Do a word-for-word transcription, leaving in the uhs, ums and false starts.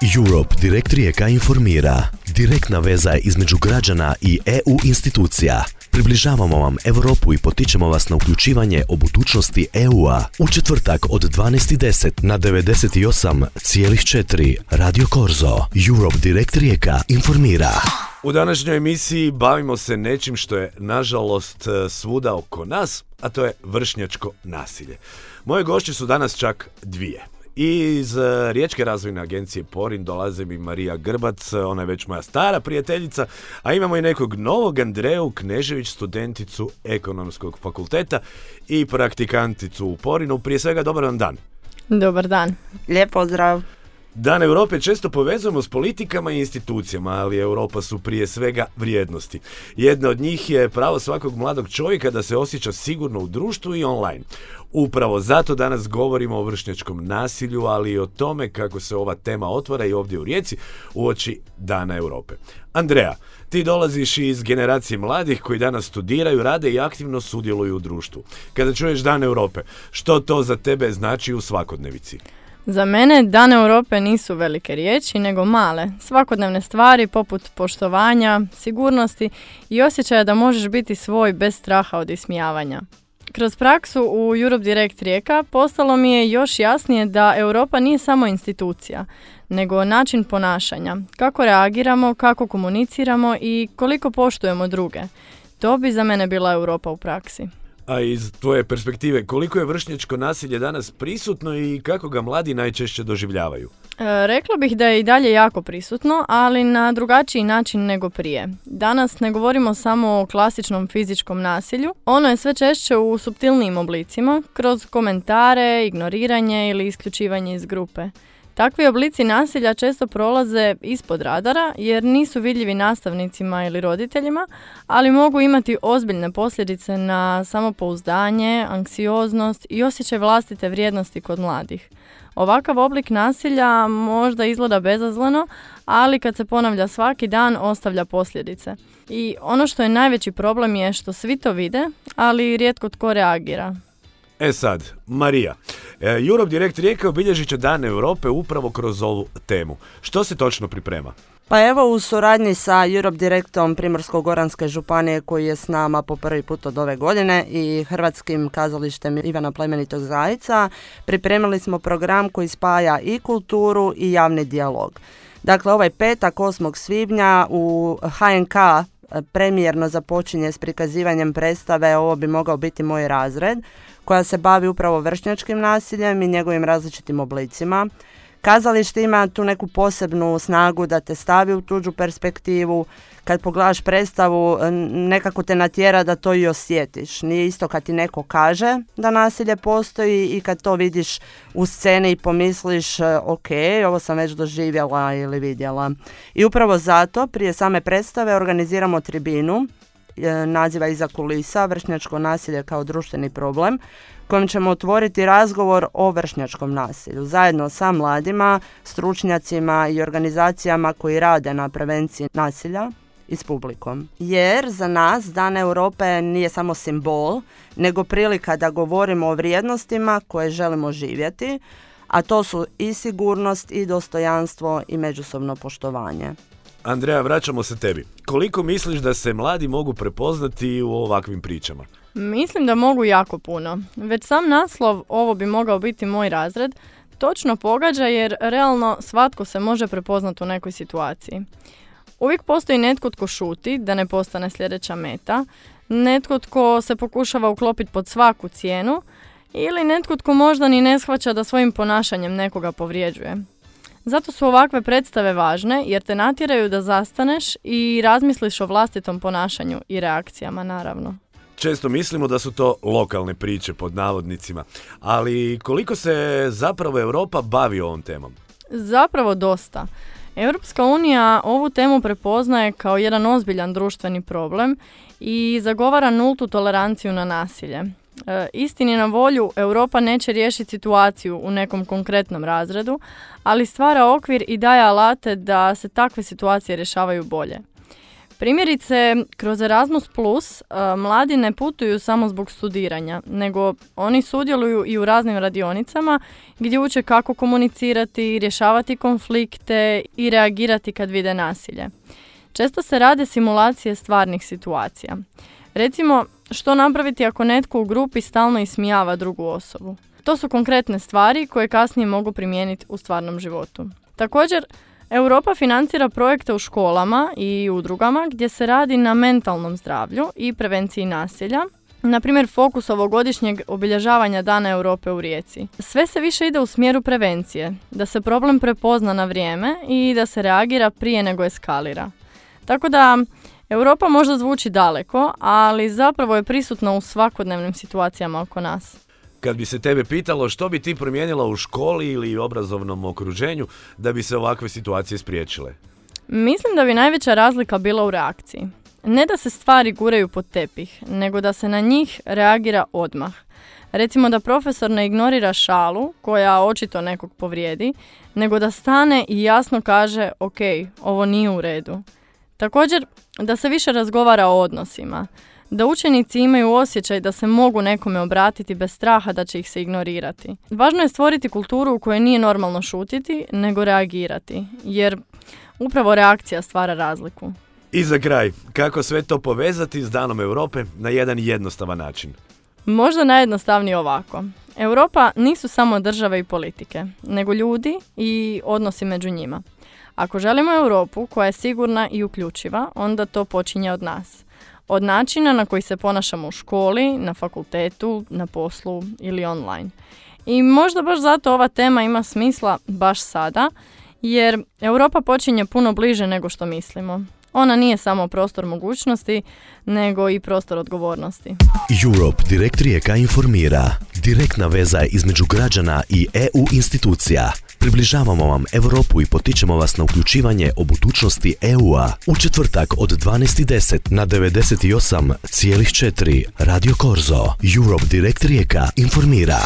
Europe Direct Rijeka informira. Direktna veza između građana i E U institucija. Približavamo vam Europu i potičemo vas na uključivanje o budućnosti E U-a. U četvrtak od dvanaest i deset na devedeset osam zarez četiri Radio Korzo. Europe Direct Rijeka informira. U današnjoj emisiji bavimo se nečim što je nažalost svuda oko nas, a to je vršnjačko nasilje. Moje gošće su danas čak dvije. Iz Riječke razvojne agencije Porin dolaze mi Marija Grbac, ona je već moja stara prijateljica, a imamo i nekog novog, Andreju Knežević, studenticu Ekonomskog fakulteta i praktikanticu u Porinu. Prije svega, dobar vam dan. Dobar dan. Lijep pozdrav. Dan Europe često povezujemo s politikama i institucijama, ali Europa su prije svega vrijednosti. Jedna od njih je pravo svakog mladog čovjeka da se osjeća sigurno u društvu i online. Upravo zato danas govorimo o vršnjačkom nasilju, ali i o tome kako se ova tema otvara i ovdje u Rijeci uoči Dana Europe. Andreja, ti dolaziš iz generacije mladih koji danas studiraju, rade i aktivno sudjeluju u društvu. Kada čuješ Dan Europe, što to za tebe znači u svakodnevici? Za mene Dan Europe nisu velike riječi, nego male, svakodnevne stvari poput poštovanja, sigurnosti i osjećaja da možeš biti svoj bez straha od ismijavanja. Kroz praksu u Europe Direct Rijeka postalo mi je još jasnije da Europa nije samo institucija, nego način ponašanja, kako reagiramo, kako komuniciramo i koliko poštujemo druge. To bi za mene bila Europa u praksi. A iz tvoje perspektive, koliko je vršnjačko nasilje danas prisutno i kako ga mladi najčešće doživljavaju? E, rekla bih da je i dalje jako prisutno, ali na drugačiji način nego prije. Danas ne govorimo samo o klasičnom fizičkom nasilju, ono je sve češće u suptilnijim oblicima, kroz komentare, ignoriranje ili isključivanje iz grupe. Takvi oblici nasilja često prolaze ispod radara jer nisu vidljivi nastavnicima ili roditeljima, ali mogu imati ozbiljne posljedice na samopouzdanje, anksioznost i osjećaj vlastite vrijednosti kod mladih. Ovakav oblik nasilja možda izgleda bezazleno, ali kad se ponavlja svaki dan ostavlja posljedice. I ono što je najveći problem je što svi to vide, ali rijetko tko reagira. E sad, Marija, Europe Direct Rijeka obilježit će Dan Europe upravo kroz ovu temu. Što se točno priprema? Pa evo, u suradnji sa Europe Directom Primorsko-goranske županije koji je s nama po prvi put od ove godine i Hrvatskim kazalištem Ivana Plemenitog Zajca pripremili smo program koji spaja i kulturu i javni dijalog. Dakle, ovaj petak osmog svibnja u H N K premijerno započinje s prikazivanjem predstave Ovo bi mogao biti moj razred, koja se bavi upravo vršnjačkim nasiljem i njegovim različitim oblicima. Kazalište ima tu neku posebnu snagu da te stavi u tuđu perspektivu. Kad pogledaš predstavu, nekako te natjera da to i osjetiš. Nije isto kad ti neko kaže da nasilje postoji i kad to vidiš u sceni i pomisliš ok, ovo sam već doživjela ili vidjela. I upravo zato prije same predstave organiziramo tribinu, naziva Iza kulisa, vršnjačko nasilje kao društveni problem, kojim ćemo otvoriti razgovor o vršnjačkom nasilju zajedno sa mladima, stručnjacima i organizacijama koji rade na prevenciji nasilja i s publikom. Jer za nas Dan Europe nije samo simbol, nego prilika da govorimo o vrijednostima koje želimo živjeti, a to su i sigurnost i dostojanstvo i međusobno poštovanje. Andreja, vraćamo se tebi. Koliko misliš da se mladi mogu prepoznati u ovakvim pričama? Mislim da mogu jako puno. Već sam naslov Ovo bi mogao biti moj razred točno pogađa jer realno svatko se može prepoznati u nekoj situaciji. Uvijek postoji netko tko šuti da ne postane sljedeća meta, netko tko se pokušava uklopiti pod svaku cijenu ili netko tko možda ni ne shvaća da svojim ponašanjem nekoga povrijeđuje. Zato su ovakve predstave važne jer te natjeraju da zastaneš i razmisliš o vlastitom ponašanju i reakcijama, naravno. Često mislimo da su to lokalne priče pod navodnicima, ali koliko se zapravo Europa bavi ovom temom? Zapravo dosta. Europska unija ovu temu prepoznaje kao jedan ozbiljan društveni problem i zagovara nultu toleranciju na nasilje. E, istini na volju, Europa neće riješiti situaciju u nekom konkretnom razredu, ali stvara okvir i daje alate da se takve situacije rješavaju bolje. Primjerice, kroz Erasmus plus mladi ne putuju samo zbog studiranja, nego oni sudjeluju i u raznim radionicama gdje uče kako komunicirati, rješavati konflikte i reagirati kad vide nasilje. Često se rade simulacije stvarnih situacija. Recimo, što napraviti ako netko u grupi stalno ismijava drugu osobu? To su konkretne stvari koje kasnije mogu primijeniti u stvarnom životu. Također, Europa financira projekte u školama i udrugama gdje se radi na mentalnom zdravlju i prevenciji nasilja. Na primjer, fokus ovogodišnjeg obilježavanja Dana Europe u Rijeci. Sve se više ide u smjeru prevencije, da se problem prepozna na vrijeme i da se reagira prije nego eskalira. Tako da, Europa možda zvuči daleko, ali zapravo je prisutna u svakodnevnim situacijama oko nas. Kad bi se tebe pitalo što bi ti promijenila u školi ili obrazovnom okruženju da bi se ovakve situacije spriječile? Mislim da bi najveća razlika bila u reakciji. Ne da se stvari guraju pod tepih, nego da se na njih reagira odmah. Recimo da profesor ne ignorira šalu, koja očito nekog povrijedi, nego da stane i jasno kaže ok, ovo nije u redu. Također, da se više razgovara o odnosima. Da učenici imaju osjećaj da se mogu nekome obratiti bez straha da će ih se ignorirati. Važno je stvoriti kulturu u kojoj nije normalno šutiti, nego reagirati, jer upravo reakcija stvara razliku. I za kraj, kako sve to povezati s Danom Europe na jedan jednostavan način? Možda najjednostavnije ovako. Europa nisu samo države i politike, nego ljudi i odnosi među njima. Ako želimo Europu koja je sigurna i uključiva, onda to počinje od nas. Od načina na koji se ponašamo u školi, na fakultetu, na poslu ili online. I možda baš zato ova tema ima smisla baš sada, jer Europa počinje puno bliže nego što mislimo. Ona nije samo prostor mogućnosti, nego i prostor odgovornosti. Europe Direkt Rijeka informira. Direktna veza između građana i E U institucija. Približavamo vam Europu i potičemo vas na uključivanje o budućnosti E U-a u četvrtak od dvanaest i deset na devedeset osam zarez četiri Radio Korzo. Europe Direkt Rijeka informira.